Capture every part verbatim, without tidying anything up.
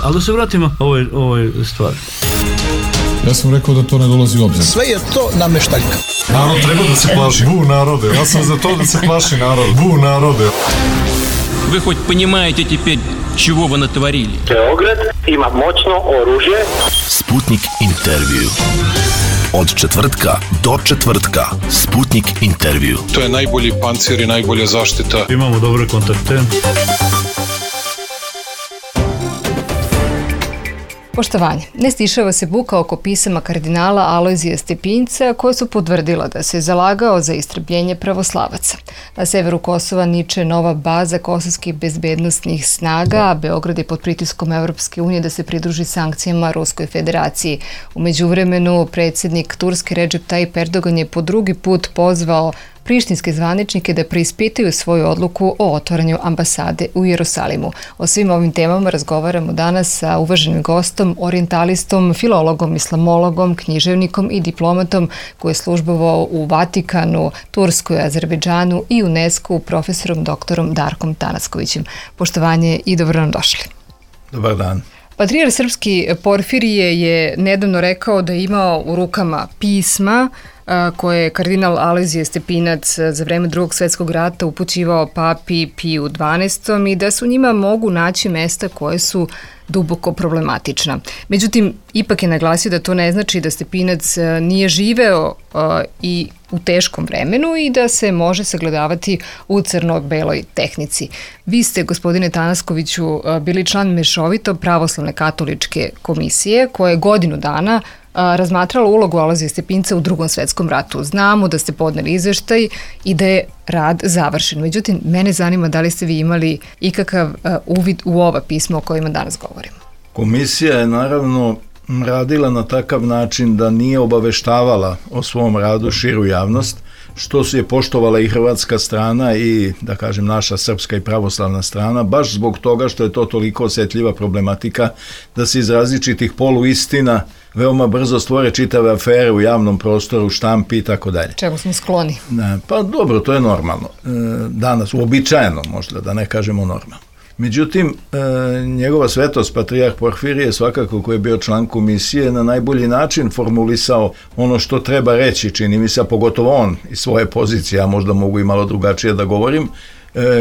Ali da se vratimo ovoj, ovoj stvari. Ja sam rekao da to ne dolazi u obzir. Sve je to nameštaljka. Narod treba da se plaši. Bu narode. Ja sam za to da se plaši narod. Bu narode. Вы хоть понимаете теперь, чего вы натворили? Beograd ima moćno oružje. Sputnik intervju. Od četvrtka do četvrtka. Sputnik intervju. To je najbolji pancir i najbolja zaštita. Imamo dobre kontakte. Poštovanje. Ne stišava se buka oko pisama kardinala Alojzija Stepinca koje su potvrdila da se zalagao za istrebljenje pravoslavaca. Na severu Kosova niče nova baza kosovskih bezbednostnih snaga, a Beograd je pod pritiskom Evropske unije da se pridruži sankcijama Ruskoj federaciji. U međuvremenu predsjednik Turske Recep Tayyip Erdogan je po drugi put pozvao prištinske zvaničnike da preispitaju svoju odluku o otvaranju ambasade u Jerusalimu. O svim ovim temama razgovaramo danas sa uvaženim gostom, orijentalistom, filologom, islamologom, književnikom i diplomatom koji je službovao u Vatikanu, Turskoj, Azerbejdžanu i UNESCO, profesorom doktorom Darkom Tanaskovićem. Poštovanje i dobro nam došli. Dobar dan. Patrijarh srpski Porfirije je nedavno rekao da je imao u rukama pisma koje je kardinal Alojzije Stepinac za vreme Drugog svjetskog rata upućivao papi Piju dvanaestom i da se u njima mogu naći mesta koje su duboko problematična. Međutim, ipak je naglasio da to ne znači da Stepinac nije živeo uh, i u teškom vremenu i da se može sagledavati u crno-beloj tehnici. Vi ste, gospodine Tanaskoviću, bili član mešovito pravoslavne katoličke komisije koja je godinu dana razmatrala ulogu Alojzija Stepinca u Drugom svjetskom ratu. Znamo da ste podneli izveštaj i da je rad završen. Međutim, mene zanima da li ste vi imali ikakav uvid u ova pisma o kojima danas govorimo. Komisija je naravno radila na takav način da nije obaveštavala o svom radu širu javnost, što se je poštovala i hrvatska strana i, da kažem, naša srpska i pravoslavna strana, baš zbog toga što je to toliko osjetljiva problematika da se iz različitih poluistina veoma brzo stvore čitave afere u javnom prostoru, štampi i tako dalje. Čemu smo skloni? Pa dobro, to je normalno. Danas, uobičajeno možda, da ne kažemo normalno. Međutim, njegova svetost, patrijarh Porfirije, svakako koji je bio član komisije, na najbolji način formulisao ono što treba reći, čini mi se, a pogotovo on iz svoje pozicije, a možda mogu i malo drugačije da govorim.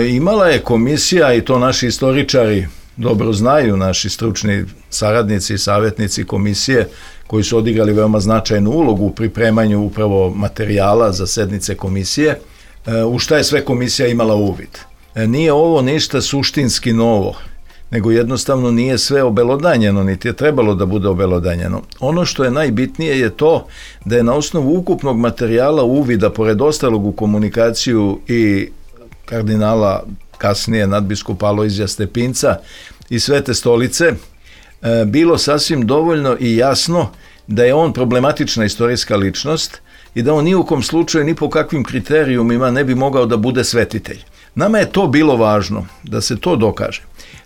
Imala je komisija, i to naši istoričari dobro znaju, naši stručni saradnici i savjetnici komisije, koji su odigrali veoma značajnu ulogu u pripremanju upravo materijala za sednice komisije, u šta je sve komisija imala uvid. Nije ovo ništa suštinski novo, nego jednostavno nije sve obelodanjeno, niti je trebalo da bude obelodanjeno. Ono što je najbitnije je to da je na osnovu ukupnog materijala uvida, pored ostalog u komunikaciju i kardinala, kasnije nadbiskupa Alojzija Stepinca i Svete stolice, bilo sasvim dovoljno i jasno da je on problematična istorijska ličnost i da on ni u kom slučaju, ni po kakvim kriterijumima ne bi mogao da bude svetitelj. Nama je to bilo važno, da se to dokaže.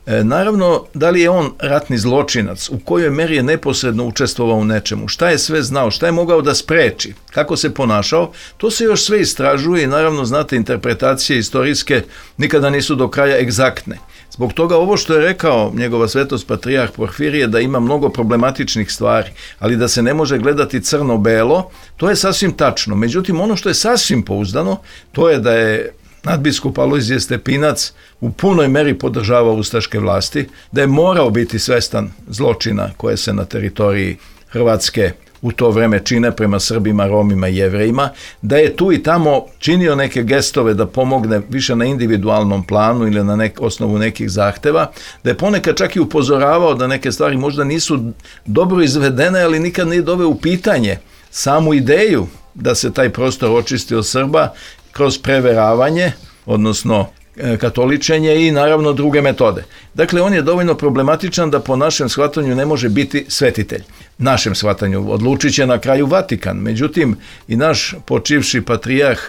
E, naravno, da li je on ratni zločinac, u kojoj meri je neposredno učestvovao u nečemu, šta je sve znao, šta je mogao da spreči, kako se ponašao, to se još sve istražuje i naravno, znate, interpretacije istorijske nikada nisu do kraja egzaktne. Zbog toga ovo što je rekao njegova svetost patrijarh Porfirije, da ima mnogo problematičnih stvari, ali da se ne može gledati crno-belo, to je sasvim tačno. Međutim, ono što je sasvim pouzdano, to je da je nadbiskup Alojzije Stepinac u punoj meri podržavao ustaške vlasti, da je morao biti svestan zločina koje se na teritoriji Hrvatske u to vreme čine prema Srbima, Romima i Jevrejima, da je tu i tamo činio neke gestove da pomogne više na individualnom planu ili na nek, osnovu nekih zahteva, da je ponekad čak i upozoravao da neke stvari možda nisu dobro izvedene, ali nikad nije doveo u pitanje samu ideju da se taj prostor očisti od Srba kroz preveravanje, odnosno katoličenje i naravno druge metode. Dakle, on je dovoljno problematičan da po našem shvatanju ne može biti svetitelj. Našem shvatanju odlučit će na kraju Vatikan. Međutim, i naš počivši patrijarh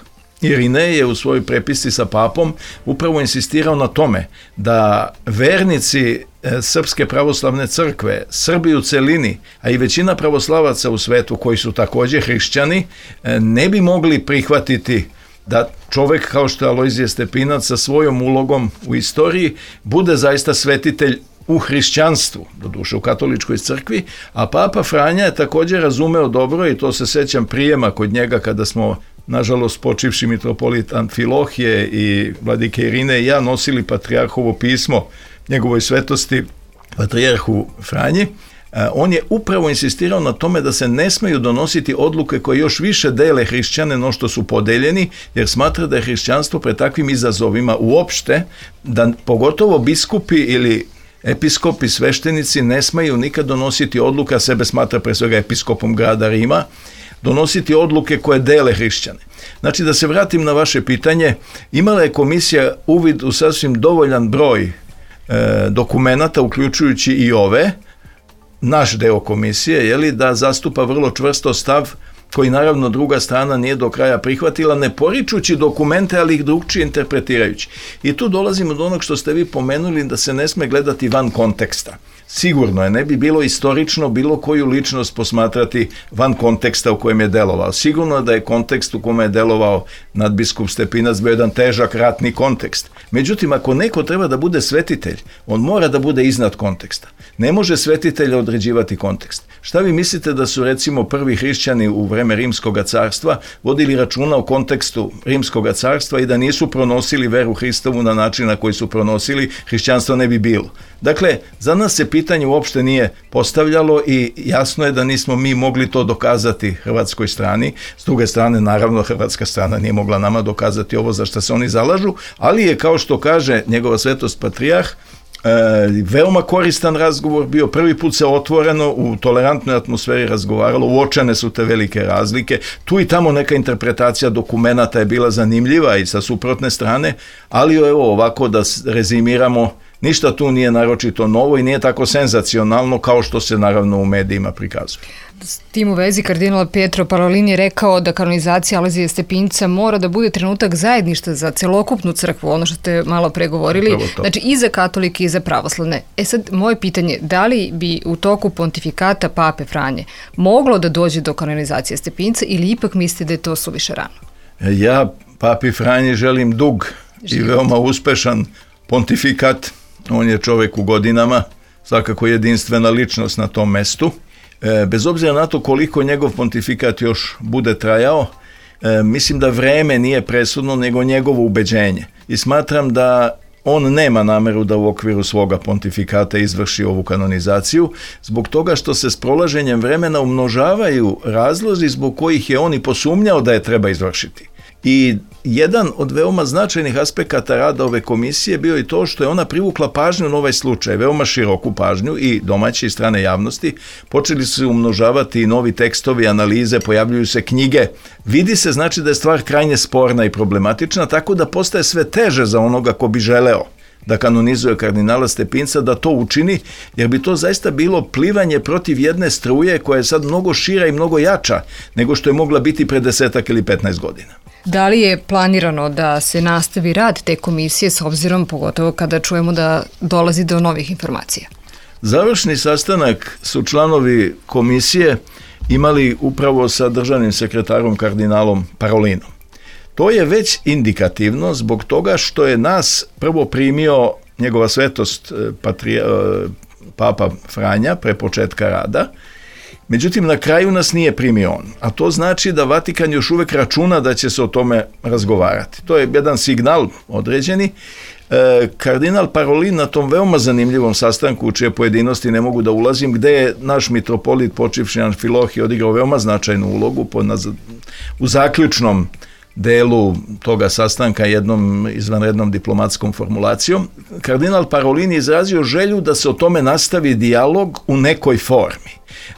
Irinej je u svojoj prepisci sa papom upravo insistirao na tome da vernici Srpske pravoslavne crkve, Srbi u celini, a i većina pravoslavaca u svetu koji su također hrišćani, ne bi mogli prihvatiti da čovjek kao što je Alojzije Stepinac sa svojom ulogom u istoriji bude zaista svetitelj u hrišćanstvu, doduše u katoličkoj crkvi, a Papa Franja je također razumeo dobro i to se sećam prijema kod njega kada smo, nažalost, počivši mitropolit Amfilohije i vladike Irine i ja nosili patrijarhovo pismo njegovoj svetosti patrijarhu Franji. On je upravo insistirao na tome da se ne smeju donositi odluke koje još više dele hrišćane no što su podeljeni, jer smatra da je hrišćanstvo pred takvim izazovima uopšte, da pogotovo biskupi ili episkopi, sveštenici ne smeju nikad donositi odluka, sebe smatra pre svega episkopom grada Rima, donositi odluke koje dele hrišćane. Znači, da se vratim na vaše pitanje, imala je komisija uvid u sasvim dovoljan broj e, dokumenata, uključujući i ove, naš deo komisije, je li, da zastupa vrlo čvrsto stav koji naravno druga strana nije do kraja prihvatila, ne poričući dokumente, ali ih drugčije interpretirajući. I tu dolazimo do onog što ste vi pomenuli, da se ne sme gledati van konteksta. Sigurno je, ne bi bilo istorično bilo koju ličnost posmatrati van konteksta u kojem je delovao. Sigurno je da je kontekst u kome je delovao nadbiskup Stepinac bio jedan težak ratni kontekst. Međutim, ako neko treba da bude svetitelj, on mora da bude iznad konteksta. Ne može svetitelj određivati kontekst. Šta vi mislite da su recimo prvi hrišćani u vreme Rimskog carstva vodili računa o kontekstu Rimskog carstva i da nisu pronosili veru Hristovu na način na koji su pronosili, hrišćanstvo ne bi bilo. Dakle, za nas se pitanje uopšte nije postavljalo i jasno je da nismo mi mogli to dokazati hrvatskoj strani. S druge strane, naravno, hrvatska strana nije mogla nama dokazati ovo za što se oni zalažu, ali je, kao što kaže njegova svetost patrijarh, E, veoma koristan razgovor bio, prvi put se otvoreno u tolerantnoj atmosferi razgovaralo, uočene su te velike razlike, tu i tamo neka interpretacija dokumenata je bila zanimljiva i sa suprotne strane, ali evo ovako da rezimiramo, ništa tu nije naročito novo i nije tako senzacionalno kao što se naravno u medijima prikazuje. S tim u vezi kardinal Pietro Parolin je rekao da kanonizacija Alojzija Stepinca mora da bude trenutak zajedništva za celokupnu crkvu, ono što ste malo pregovorili, znači i za katolike i za pravoslavne. E sad, moje pitanje, da li bi u toku pontifikata Pape Franje moglo da dođe do kanonizacije Stepinca ili ipak mislite da je to suviše rano? Ja Papi Franji želim dug Život. I veoma uspešan pontifikat. On je čovjek u godinama, svakako jedinstvena ličnost na tom mestu. E, bez obzira na to koliko njegov pontifikat još bude trajao, e, mislim da vreme nije presudno, nego njegovo ubeđenje. I smatram da on nema nameru da u okviru svoga pontifikata izvrši ovu kanonizaciju, zbog toga što se s prolaženjem vremena umnožavaju razlozi zbog kojih je on i posumnjao da je treba izvršiti. I jedan od veoma značajnih aspekata rada ove komisije bio i to što je ona privukla pažnju na ovaj slučaj, veoma široku pažnju i domaće i strane javnosti. Počeli su se umnožavati i novi tekstovi, analize, pojavljuju se knjige. Vidi se, znači, da je stvar krajnje sporna i problematična, tako da postaje sve teže za onoga ko bi želeo da kanonizuje kardinala Stepinca, da to učini, jer bi to zaista bilo plivanje protiv jedne struje koja je sad mnogo šira i mnogo jača nego što je mogla biti pre desetak ili petnaest godina. Da li je planirano da se nastavi rad te komisije s obzirom, pogotovo kada čujemo da dolazi do novih informacija? Završni sastanak su članovi komisije imali upravo sa državnim sekretarom kardinalom Parolinom. To je već indikativno zbog toga što je nas prvo primio njegova svetost patrija, Papa Franja pre početka rada. Međutim, na kraju nas nije primio on, a to znači da Vatikan još uvek računa da će se o tome razgovarati. To je jedan signal određeni. E, kardinal Parolin na tom veoma zanimljivom sastanku, u čije pojedinosti ne mogu da ulazim, gde je naš mitropolit počivši Amfilohije odigrao veoma značajnu ulogu po, na, u zaključnom delu toga sastanka jednom izvanrednom diplomatskom formulacijom. Kardinal Parolin je izrazio želju da se o tome nastavi dijalog u nekoj formi.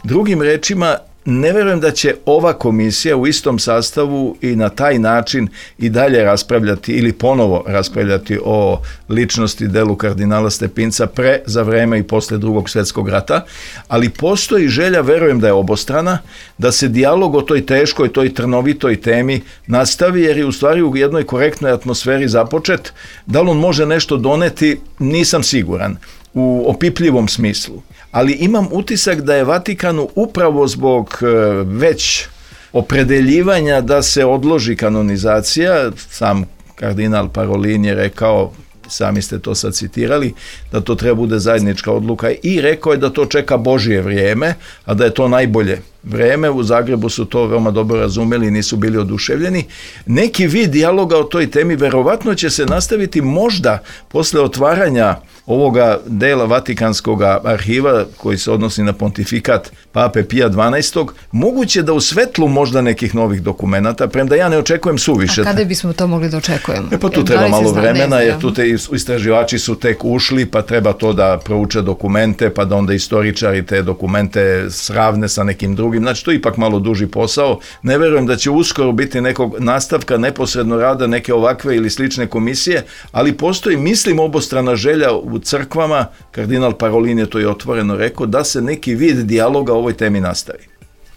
Drugim rečima, ne verujem da će ova komisija u istom sastavu i na taj način i dalje raspravljati ili ponovo raspravljati o ličnosti delu kardinala Stepinca pre, za vreme i posle drugog svjetskog rata, ali postoji želja, verujem da je obostrana, da se dijalog o toj teškoj, toj trnovitoj temi nastavi, jer je u stvari u jednoj korektnoj atmosferi započet. Da li on može nešto doneti, nisam siguran u opipljivom smislu. Ali imam utisak da je Vatikanu upravo zbog već opredeljivanja da se odloži kanonizacija, sam kardinal Parolin je rekao sami ste to sad citirali, da to treba bude zajednička odluka i rekao je da to čeka Božje vrijeme, a da je to najbolje vreme. U Zagrebu su to veoma dobro razumeli i nisu bili oduševljeni. Neki vid dijaloga o toj temi verovatno će se nastaviti možda posle otvaranja ovoga dela Vatikanskog arhiva koji se odnosi na pontifikat Pape Pija dvanaestog. Moguće da u svetlu možda nekih novih dokumenata, premda ja ne očekujem suviše. A kada bismo to mogli da očekujemo? E pa tu treba malo vremena, jer tu te istraživači su tek ušli, pa treba to da prouče dokumente, pa da onda istoričari te dokumente sravne sa nekim drugim. Znači, to je ipak malo duži posao. Ne verujem da će uskoro biti nekog nastavka neposredno rada neke ovakve ili slične komisije, ali postoji, mislim, obostrana želja u crkvama, kardinal Parolin je to i otvoreno rekao, da se neki vid dijaloga o ovoj temi nastavi.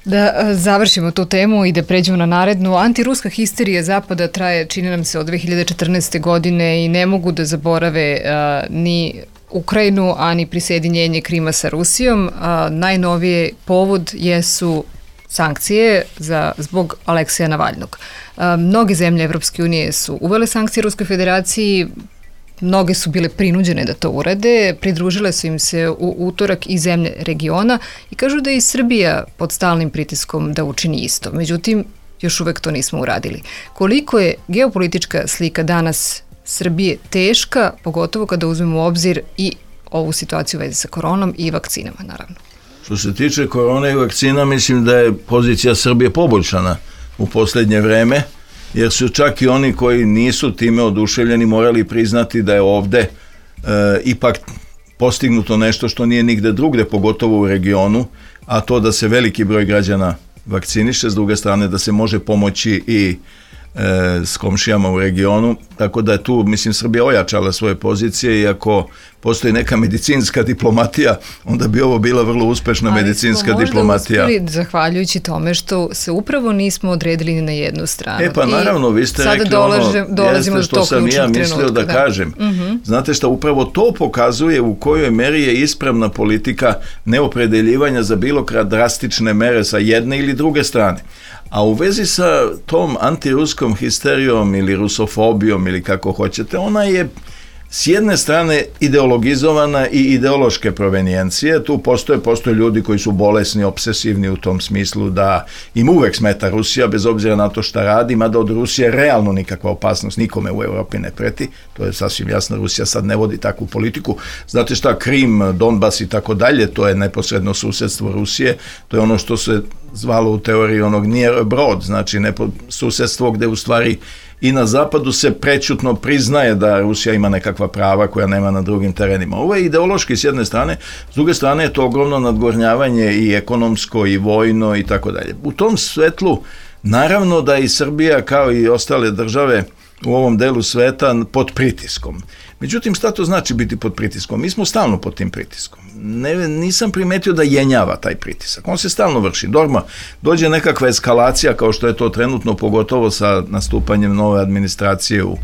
Da završimo tu temu i da pređemo na narednu. Antiruska histerija Zapada traje, čini nam se, od dve hiljade četrnaeste. godine i ne mogu da zaborave a, ni Ukrajinu, a ni prisjedinjenje Krima sa Rusijom. A, najnovije povod jesu sankcije za, zbog Aleksija Navalnog. A, mnoge zemlje Evropske unije su uvele sankcije Ruskoj federaciji, mnoge su bile prinuđene da to urade, pridružile su im se u utorak i zemlje regiona i kažu da je i Srbija pod stalnim pritiskom da učini isto. Međutim, još uvek to nismo uradili. Koliko je geopolitička slika danas Srbije teška, pogotovo kada uzmemo u obzir i ovu situaciju u vezi sa koronom i vakcinama, naravno. Što se tiče korone i vakcina, mislim da je pozicija Srbije poboljšana u posljednje vreme, jer su čak i oni koji nisu time oduševljeni morali priznati da je ovde e, ipak postignuto nešto što nije nigde drugde, pogotovo u regionu, a to da se veliki broj građana vakciniše, s druge strane da se može pomoći i e, s komšijama u regionu, tako da je tu, mislim, Srbija ojačala svoje pozicije i ako postoji neka medicinska diplomatija, onda bi ovo bila vrlo uspešna ali medicinska diplomatija. Ali smo možda uspjeli, zahvaljujući tome što se upravo nismo odredili ni na jednu stranu. E pa naravno, vi ste rekli dolažem, ono, jeste što sam ja mislio trenutka, da, da kažem. Uh-huh. Znate šta, upravo to pokazuje u kojoj meri je ispravna politika neopredeljivanja za bilo kad drastične mere sa jedne ili druge strane. A u vezi sa tom antiruskom histerijom ili rusofobijom ili kako hoćete, ona je s jedne strane ideologizovana i ideološke provenijencije. Tu postoje, postoje ljudi koji su bolesni, obsesivni u tom smislu da im uvek smeta Rusija, bez obzira na to šta radi, mada od Rusije realno nikakva opasnost nikome u Evropi ne preti. To je sasvim jasno, Rusija sad ne vodi takvu politiku. Znate šta, Krim, Donbas i tako dalje, to je neposredno susjedstvo Rusije, to je ono što se zvalo u teoriji onog near abroad, znači nepo, susjedstvo gde u stvari i na zapadu se prećutno priznaje da Rusija ima nekakva prava koja nema na drugim terenima. Ovo je ideološki s jedne strane, s druge strane je to ogromno nadgornjavanje i ekonomsko i vojno i tako dalje. U tom svetlu naravno da i Srbija kao i ostale države u ovom delu sveta pod pritiskom. Međutim, šta to znači biti pod pritiskom? Mi smo stalno pod tim pritiskom. Ne, nisam primetio da jenjava taj pritisak. On se stalno vrši. Dorma, dođe nekakva eskalacija kao što je to trenutno, pogotovo sa nastupanjem nove administracije u,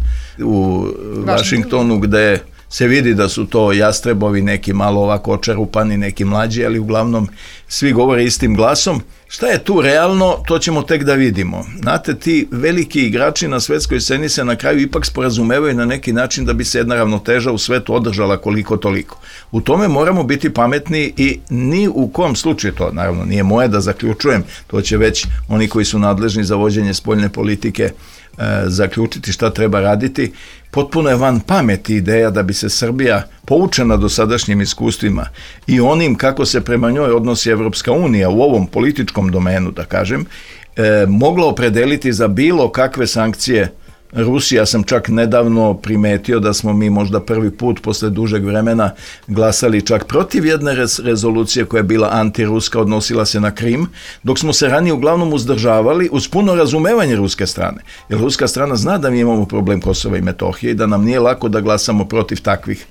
u Vašingtonu, gde se vidi da su to jastrebovi, neki malo ovako očerupani, neki mlađi, ali uglavnom svi govore istim glasom. Šta je tu realno, to ćemo tek da vidimo. Znate, ti veliki igrači na svetskoj sceni se na kraju ipak sporazumevaju na neki način da bi se jedna ravnoteža u svetu održala koliko toliko. U tome moramo biti pametni i ni u kom slučaju, to naravno nije moje da zaključujem, to će već oni koji su nadležni za vođenje spoljne politike e, zaključiti šta treba raditi. Potpuno je van pameti ideja da bi se Srbija, poučena dosadašnjim iskustvima i onim kako se prema njoj odnosi Evropska unija u ovom političkom domenu, da kažem, e, mogla opredeliti za bilo kakve sankcije Rusija. Ja sam čak nedavno primetio da smo mi možda prvi put posle dužeg vremena glasali čak protiv jedne rez- rezolucije koja je bila antiruska, odnosila se na Krim, dok smo se ranije uglavnom uzdržavali uz puno razumevanje ruske strane. Jer ruska strana zna da mi imamo problem Kosova i Metohije i da nam nije lako da glasamo protiv takvih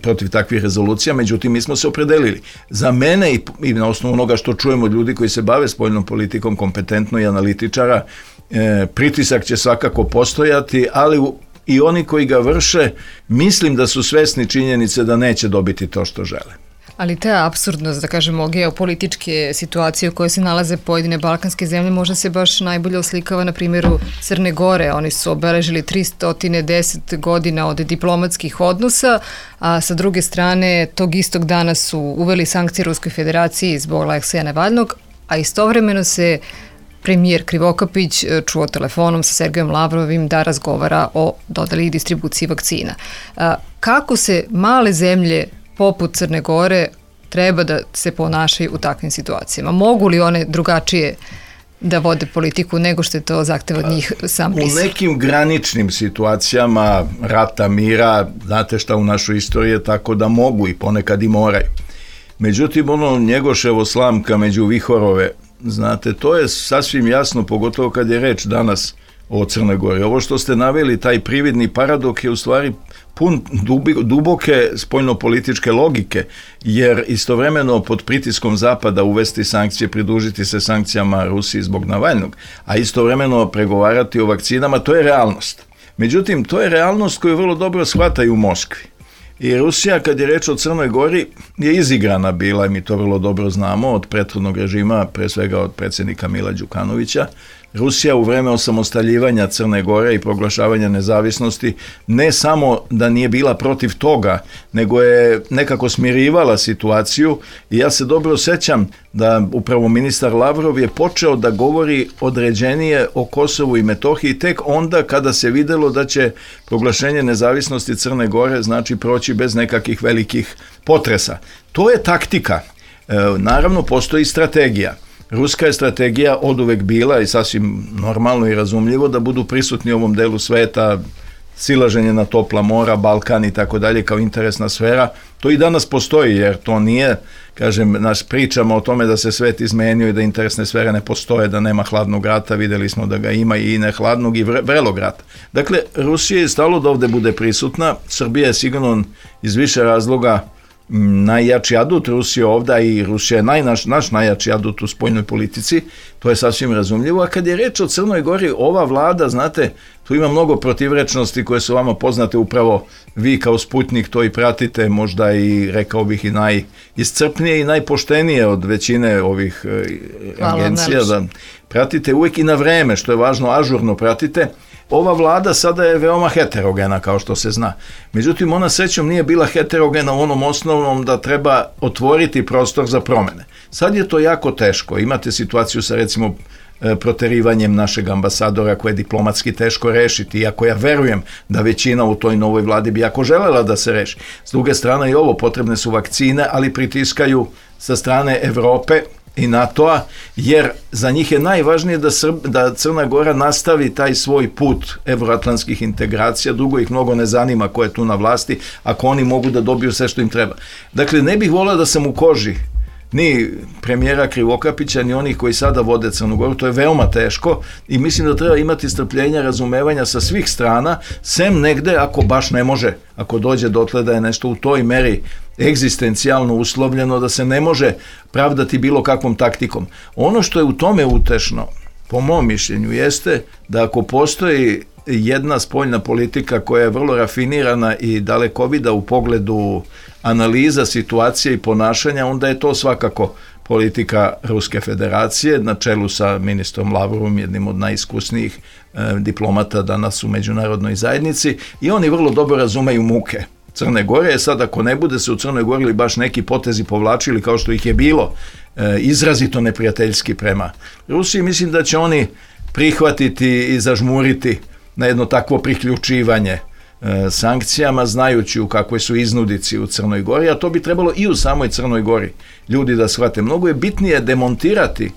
protiv takvih rezolucija, međutim mi smo se opredelili. Za mene i, i na osnovu onoga što čujemo od ljudi koji se bave spoljnom politikom kompetentno i analitičara, e, pritisak će svakako postojati, ali u, i oni koji ga vrše, mislim da su svesni činjenice da neće dobiti to što žele. Ali ta apsurdnost, da kažemo, geopolitičke situacije u kojoj se nalaze pojedine balkanske zemlje možda se baš najbolje oslikava na primjeru Crne Gore. Oni su obeležili tristo deset godina od diplomatskih odnosa, a sa druge strane tog istog dana su uveli sankcije Ruskoj federaciji zbog Alekseja Navalnog, a istovremeno se premijer Krivokapić čuo telefonom sa Sergejom Lavrovim da razgovara o dodeli i distribuciji vakcina. Kako se male zemlje poput Crne Gore treba da se ponašaju u takvim situacijama? Mogu li one drugačije da vode politiku nego što je to zahteva od njih sam Brisel? U nekim graničnim situacijama rata, mira, znate šta u našoj istoriji je tako da mogu i ponekad i moraju. Međutim, ono Njegoševo slamka među vihorove, znate, to je sasvim jasno, pogotovo kad je reč danas o Crnoj Gori. Ovo što ste naveli, taj prividni paradok je u stvari pun duboke spoljnopolitičke logike, jer istovremeno pod pritiskom Zapada uvesti sankcije, pridružiti se sankcijama Rusiji zbog Navalnog, a istovremeno pregovarati o vakcinama, to je realnost. Međutim, to je realnost koju vrlo dobro shvataju u Moskvi. I Rusija, kad je reč o Crnoj Gori, je izigrana bila, i mi to vrlo dobro znamo, od prethodnog režima, pre svega od predsjednika Mila Đukanovića. Rusija u vreme osamostaljivanja Crne Gore i proglašavanja nezavisnosti ne samo da nije bila protiv toga, nego je nekako smirivala situaciju, i ja se dobro sjećam da upravo ministar Lavrov je počeo da govori određenije o Kosovu i Metohiji tek onda kada se videlo da će proglašenje nezavisnosti Crne Gore znači proći bez nekakvih velikih potresa. To je taktika. E, naravno, postoji strategija. Ruska je strategija oduvek bila i sasvim normalno i razumljivo da budu prisutni u ovom delu sveta, silaženje na topla mora, Balkan i tako dalje kao interesna sfera. To i danas postoji, jer to nije, kažem, naš pričamo o tome da se svet izmenio i da interesne sfere ne postoje, da nema hladnog rata, vidjeli smo da ga ima i ne hladnog i vrelog rata. Dakle, Rusija je stalo da ovdje bude prisutna, Srbija je sigurno iz više razloga najjači adut Rusije ovdje, i Rusija je naj, naš, naš najjači adut u spoljnoj politici, to je sasvim razumljivo. A kad je reč o Crnoj Gori, ova vlada, znate, tu ima mnogo protivrečnosti koje su vama poznate, upravo vi kao Sputnik to i pratite, možda i, rekao bih, i najiscrpnije i najpoštenije od većine ovih Hvala, agencija, da pratite uvijek i na vreme, što je važno, ažurno pratite. Ova vlada sada je veoma heterogena, kao što se zna. Međutim, ona srećom nije bila heterogena u onom osnovnom da treba otvoriti prostor za promjene. Sad je to jako teško. Imate situaciju sa, recimo, proterivanjem našeg ambasadora koje je diplomatski teško rešiti, iako ja verujem da većina u toj novoj vladi bi jako želela da se reši. S druge strane i ovo, potrebne su vakcine, ali pritiskaju sa strane Evrope i NATO-a, jer za njih je najvažnije da, Srb, da Crna Gora nastavi taj svoj put evroatlantskih integracija, drugo ih mnogo ne zanima ko je tu na vlasti, ako oni mogu da dobiju sve što im treba. Dakle, ne bih volio da sam u koži ni premijera Krivokapića, ni onih koji sada vode Crnu Goru, to je veoma teško i mislim da treba imati strpljenja, razumevanja sa svih strana, sem negde ako baš ne može, ako dođe dotle da je nešto u toj meri egzistencijalno uslovljeno, da se ne može pravdati bilo kakvom taktikom. Ono što je u tome utešno, po mom mišljenju, jeste da ako postoji jedna spoljna politika koja je vrlo rafinirana i dalekovida u pogledu analiza situacije i ponašanja, onda je to svakako politika Ruske federacije na čelu sa ministrom Lavrovom, jednim od najiskusnijih e, diplomata danas u međunarodnoj zajednici, i oni vrlo dobro razumeju muke Crne Gore. Je sad, ako ne bude se u Crnoj Gori ili baš neki potezi povlačili kao što ih je bilo e, izrazito neprijateljski prema Rusiji, mislim da će oni prihvatiti i zažmuriti na jedno takvo priključivanje e, sankcijama, znajući u kakvoj su iznudici u Crnoj Gori, a to bi trebalo i u samoj Crnoj Gori ljudi da shvate. Mnogo je bitnije demontirati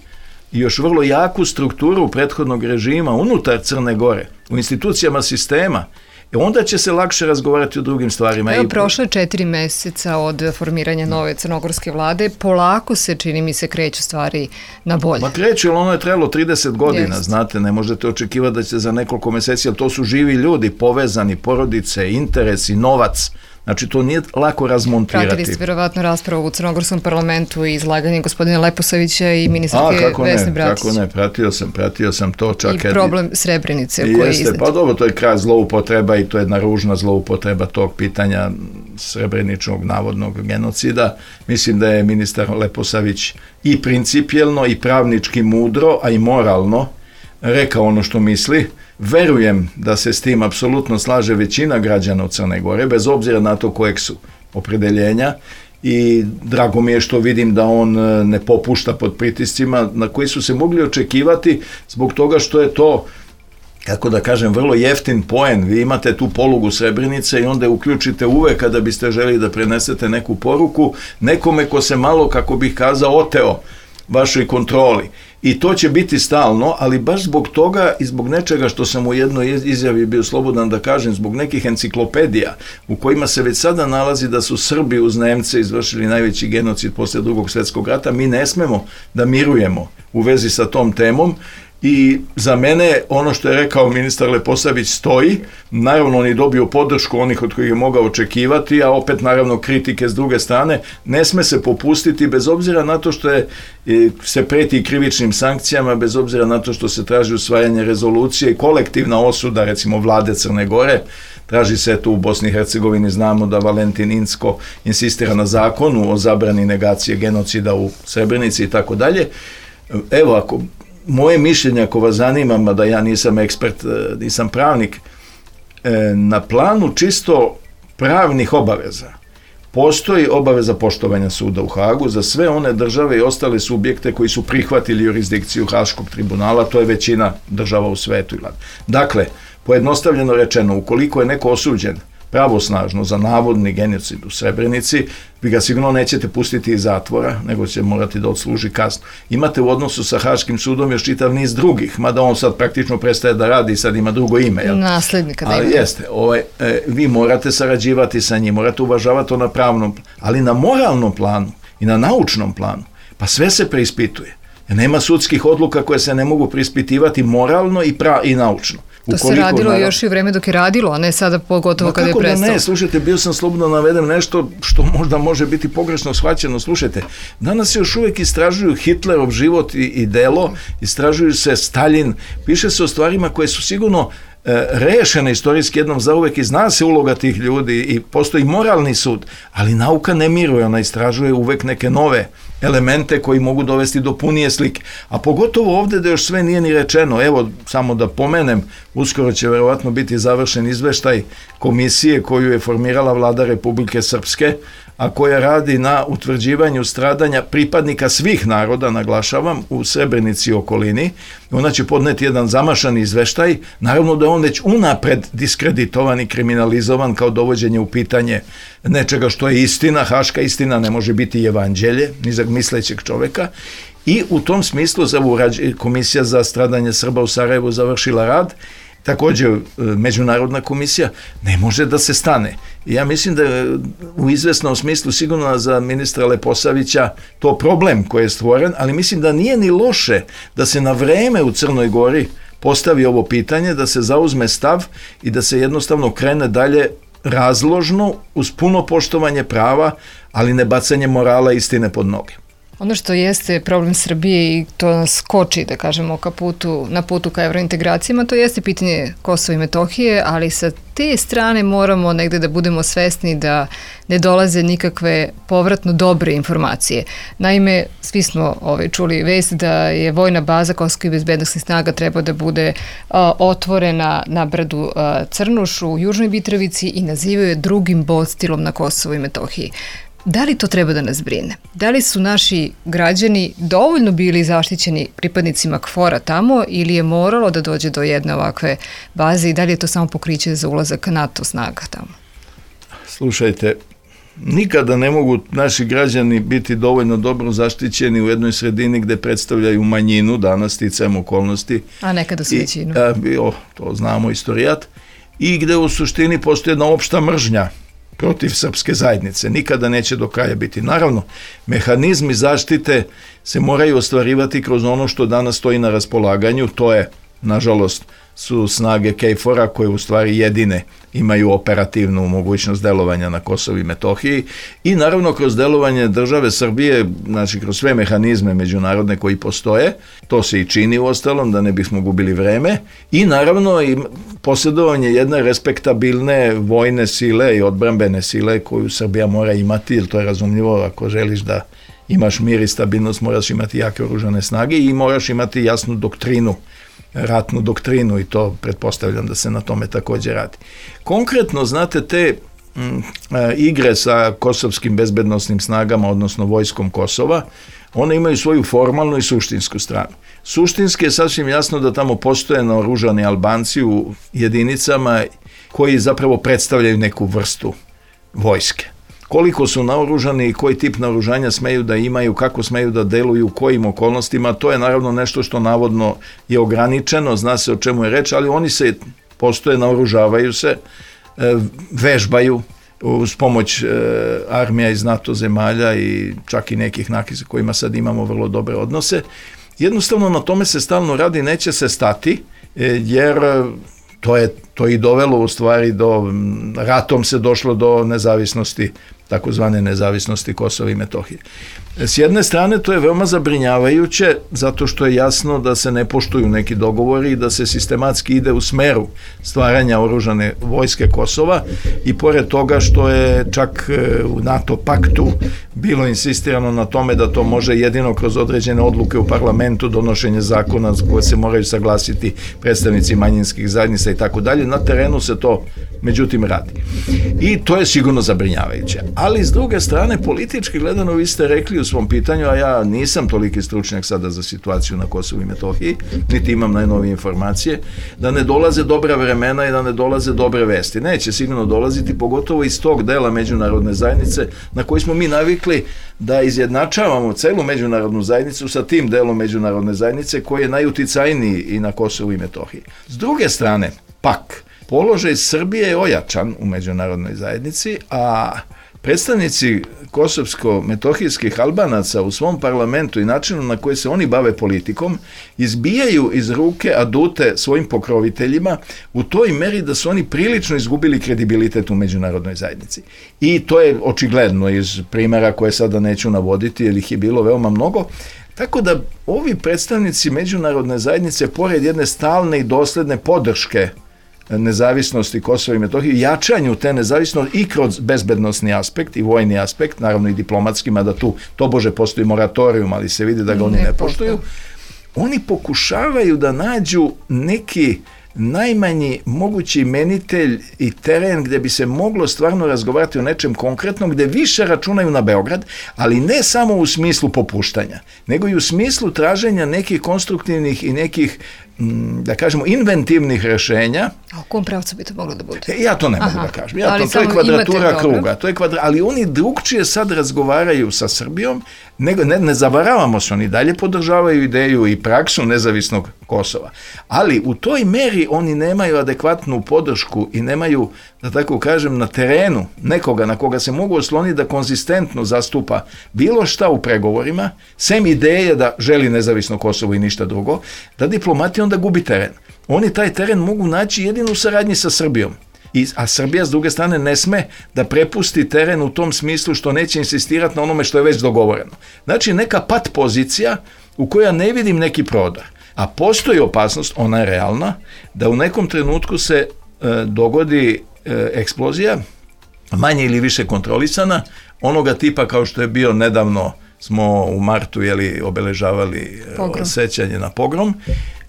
još vrlo jaku strukturu prethodnog režima unutar Crne Gore, u institucijama sistema, i onda će se lakše razgovarati o drugim stvarima. Evo, prošlo je četiri meseca od formiranja nove crnogorske vlade, polako se, čini mi se, kreću stvari na bolje. Ma kreću, ali ono je trebalo trideset godina, Jest. znate, ne možete očekivati da će za nekoliko meseci, ali to su živi ljudi, povezani, porodice, interesi, novac. Znači, to nije lako razmontirati. Pratili ste vjerovatno raspravu u crnogorskom parlamentu i izlaganje gospodina Leposavića i ministarke Vesne Bratić. Kako ne, pratio sam, pratio sam to čak. I problem Srebrenice koji je iznet. Pa dobro, to je kraj zloupotreba i to je jedna ružna zloupotreba tog pitanja. srebreničnog navodnog genocida. Mislim da je ministar Leposavić i principijelno i pravnički mudro, a i moralno rekao ono što misli. Verujem da se s tim apsolutno slaže većina građana u Crne Gore, bez obzira na to kojeg su opredeljenja, i drago mi je što vidim da on ne popušta pod pritiscima na koji su se mogli očekivati zbog toga što je to, kako da kažem, vrlo jeftin poen. Vi imate tu polugu Srebrenice i onda je uključite uvek kada biste želi da prenesete neku poruku nekome ko se malo, kako bih kazao, oteo vašoj kontroli. I to će biti stalno, ali baš zbog toga i zbog nečega što sam u jednoj izjavi bio slobodan da kažem, zbog nekih enciklopedija u kojima se već sada nalazi da su Srbi uz Nemce izvršili najveći genocid posle drugog svjetskog rata, mi ne smemo da mirujemo u vezi sa tom temom. I za mene ono što je rekao ministar Leposavić stoji, naravno on je dobio podršku onih od kojih je mogao očekivati, a opet naravno kritike s druge strane, ne sme se popustiti bez obzira na to što je, se preti krivičnim sankcijama, bez obzira na to što se traži usvajanje rezolucije i kolektivna osuda recimo vlade Crne Gore. Traži se tu u Bosni i Hercegovini, znamo da Valentin Incko insistira na zakonu o zabrani negacije genocida u Srebrenici i tako dalje. Evo, ako moje mišljenje, ako vas zanima, mada ja nisam ekspert, nisam pravnik, na planu čisto pravnih obaveza postoji obaveza poštovanja suda u Hagu za sve one države i ostale subjekte koji su prihvatili jurisdikciju Haškog tribunala, to je većina država u svetu. Dakle, pojednostavljeno rečeno, ukoliko je neko osuđen pravosnažno za navodni genocid u Srebrenici, vi ga sigurno nećete pustiti iz zatvora, nego će morati da odsluži kaznu. Imate u odnosu sa Haškim sudom još čitav niz drugih, mada on sad praktično prestaje da radi i sad ima drugo ime. Jel? Naslednika da ima. Ali jeste, ovaj, e, vi morate sarađivati sa njim, morate uvažavati to na pravnom, ali na moralnom planu i na naučnom planu, pa sve se preispituje. Nema sudskih odluka koje se ne mogu preispitivati moralno i, pra, i naučno. To Ukoliko, se radilo naravno, još i u vreme dok je radilo, a ne sada pogotovo kada je prestalo. Kako da ne, slušajte, bio sam slobodno navedem nešto što možda može biti pogrešno shvaćeno. Slušajte, danas se još uvijek istražuju Hitlerov život i, i delo, istražuju se Stalin, piše se o stvarima koje su sigurno e, rešene istorijski jednom zauvek i zna se uloga tih ljudi i postoji moralni sud, ali nauka ne miruje, ona istražuje uvek neke nove elemente koji mogu dovesti do punije slike. A pogotovo ovdje da još sve nije ni rečeno. Evo, samo da pomenem, uskoro će verovatno biti završen izveštaj komisije koju je formirala vlada Republike Srpske, a koja radi na utvrđivanju stradanja pripadnika svih naroda, naglašavam, u Srebrenici i okolini. Ona će podneti jedan zamašan izveštaj, naravno da je on već unapred diskreditovan i kriminalizovan kao dovođenje u pitanje nečega što je istina. Haška istina ne može biti evanđelje, ni za mislećeg čoveka. I u tom smislu Komisija za stradanje Srba u Sarajevu završila rad, također međunarodna komisija, ne može da se stane. I ja mislim da je u izvesnom smislu sigurno za ministra Leposavića to problem koji je stvoren, ali mislim da nije ni loše da se na vreme u Crnoj Gori postavi ovo pitanje, da se zauzme stav i da se jednostavno krene dalje razložno, uz puno poštovanje prava, ali ne bacanje morala i istine pod noge. Ono što jeste problem Srbije i to nas koči, da kažemo, ka putu, na putu ka evrointegracijama, to jeste pitanje Kosova i Metohije, ali sa te strane moramo negde da budemo svesni da ne dolaze nikakve povratno dobre informacije. Naime, svi smo ovaj, čuli vest da je vojna baza Kosovskih bezbednosnih snaga treba da bude a, otvorena na brdu a, Crnuš u Južnoj Mitrovici i nazivaju je drugim bodstilom na Kosovu i Metohiji. Da li to treba da nas brine? Da li su naši građani dovoljno bili zaštićeni pripadnicima KFOR-a tamo ili je moralo da dođe do jedne ovakve baze i da li je to samo pokriće za ulazak NATO snaga tamo? Slušajte, nikada ne mogu naši građani biti dovoljno dobro zaštićeni u jednoj sredini gde predstavljaju manjinu, danas sticajem okolnosti. A nekada su većinu. To znamo istorijat. I gde u suštini postoji jedna opšta mržnja protiv srpske zajednice. Nikada neće do kraja biti. Naravno, mehanizmi zaštite se moraju ostvarivati kroz ono što danas stoji na raspolaganju, to je, nažalost, su snage K F O R-a koje u stvari jedine imaju operativnu mogućnost delovanja na Kosovu i Metohiji i naravno kroz delovanje države Srbije, znači kroz sve mehanizme međunarodne koji postoje, to se i čini u ostalom, da ne bismo gubili vreme, i naravno i posjedovanje jedne respektabilne vojne sile i odbrambene sile koju Srbija mora imati, jer to je razumljivo, ako želiš da imaš mir i stabilnost, moraš imati jake oružane snage i moraš imati jasnu doktrinu, ratnu doktrinu, i to pretpostavljam da se na tome također radi. Konkretno, znate, te m, igre sa kosovskim bezbednosnim snagama, odnosno vojskom Kosova, one imaju svoju formalnu i suštinsku stranu. Suštinski je sasvim jasno da tamo postoje naoružani Albanci u jedinicama koji zapravo predstavljaju neku vrstu vojske. Koliko su naoružani i koji tip naoružanja smeju da imaju, kako smeju da deluju, u kojim okolnostima, to je naravno nešto što navodno je ograničeno, zna se o čemu je reč, ali oni se postoje, naoružavaju se, vežbaju uz pomoć armija iz NATO zemalja i čak i nekih nakih sa kojima sad imamo vrlo dobre odnose. Jednostavno na tome se stalno radi, neće se stati, jer to je to i dovelo u stvari do, ratom se došlo do nezavisnosti, takozvane nezavisnosti Kosova i Metohije. S jedne strane to je veoma zabrinjavajuće, zato što je jasno da se ne poštuju neki dogovori i da se sistematski ide u smeru stvaranja oružane vojske Kosova, i pored toga što je čak u NATO paktu bilo insistirano na tome da to može jedino kroz određene odluke u parlamentu, donošenje zakona koje se moraju saglasiti predstavnici manjinskih zajednica i tako dalje. Na terenu se to međutim radi. I to je sigurno zabrinjavajuće. Ali s druge strane, politički gledano, vi ste rekli u svom pitanju, a ja nisam toliki stručnjak sada za situaciju na Kosovu i Metohiji, niti imam najnovije informacije, da ne dolaze dobra vremena i da ne dolaze dobre vesti. Neće sigurno dolaziti, pogotovo iz tog dela međunarodne zajednice na koji smo mi navikli da izjednačavamo celu međunarodnu zajednicu sa tim delom međunarodne zajednice koji je najuticajniji i na Kosovu i Metohiji. S druge strane, pak, položaj Srbije je ojačan u međunarodnoj zajednici, a predstavnici kosovsko-metohijskih Albanaca u svom parlamentu i načinu na koji se oni bave politikom izbijaju iz ruke adute svojim pokroviteljima u toj meri da su oni prilično izgubili kredibilitet u međunarodnoj zajednici. I to je očigledno iz primjera koje sada neću navoditi, jer ih je bilo veoma mnogo. Tako da ovi predstavnici međunarodne zajednice, pored jedne stalne i dosledne podrške nezavisnosti Kosova i Metohije, jačanju te nezavisnosti i kroz bezbednosni aspekt i vojni aspekt, naravno i diplomatski, mada tu tobože postoji moratorijum, ali se vidi da ga oni ne, ne poštuju, oni pokušavaju da nađu neki najmanji mogući imenitelj i teren gdje bi se moglo stvarno razgovarati o nečem konkretnom, gdje više računaju na Beograd, ali ne samo u smislu popuštanja, nego i u smislu traženja nekih konstruktivnih i nekih, da kažemo, inventivnih rešenja. A u kom pravcu bi to moglo da bude? E, ja to ne mogu Aha, da kažem. Ja to, to je kvadratura kruga. To je kvadra, ali oni drugčije sad razgovaraju sa Srbijom, nego, ne, ne zavaravamo se, oni dalje podržavaju ideju i praksu nezavisnog Kosova. Ali u toj meri oni nemaju adekvatnu podršku i nemaju, da tako kažem, na terenu nekoga na koga se mogu osloniti da konzistentno zastupa bilo šta u pregovorima, sem ideje da želi nezavisno Kosovo i ništa drugo, da diplomatija onda gubi teren. Oni taj teren mogu naći jedino u saradnji sa Srbijom. I, a Srbija s druge strane ne sme da prepusti teren u tom smislu što neće insistirati na onome što je već dogovoreno. Znači neka pat pozicija u kojoj ja ne vidim neki prodor. A postoji opasnost, ona je realna, da u nekom trenutku se e, dogodi e, eksplozija, manje ili više kontrolisana, onoga tipa kao što je bio nedavno, smo u martu jeli, obeležavali e, sećanje na pogrom,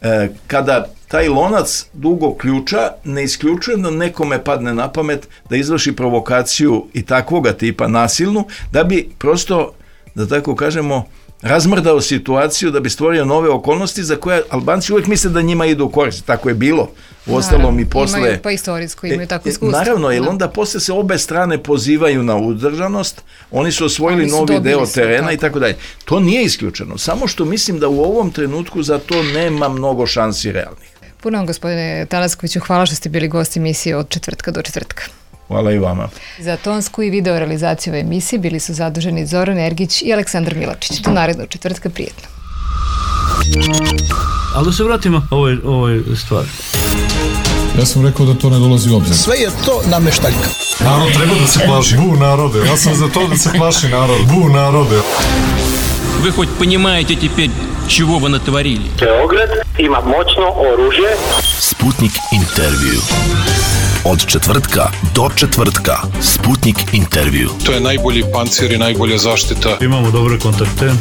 e, kada taj lonac dugog ključa ne isključuje da nekome padne na pamet da izvrši provokaciju i takvoga tipa nasilnu, da bi prosto, da tako kažemo, razmrdao situaciju, da bi stvorio nove okolnosti za koje Albanci uvijek misle da njima idu u korist. Tako je bilo. U ostalom i posle... Imaju pa istorijsko, imaju tako iskustvo. Naravno, jer onda posle se obe strane pozivaju na udržanost, oni su osvojili oni su novi deo terena i tako dalje. To nije isključeno. Samo što mislim da u ovom trenutku za to nema mnogo šansi realnih. Puno vam, gospodine Tanaskoviću, hvala što ste bili gosti emisije od četvrtka do četvrtka. Hvala i vama. Za tonsku i video realizaciju ove emisije bili su zaduženi Zoran Ergić i Aleksandar Milačić. Do narednog četvrtka, prijetno. Ali da se vratimo ovoj, ovoj stvari. Ja sam rekao da to ne dolazi u obzir. Sve je to nameštaljka. Narod treba da se plaši. Bu narode. Ja sam za to da se plaši narod. Bu narode. Вы хоть понимаете теперь, чего вы натворили? Beograd ima moćno oružje. Sputnik intervju. Od četvrtka do četvrtka. Sputnik intervju. To je najbolji pancir i najbolja zaštita. Imamo dobre kontakte.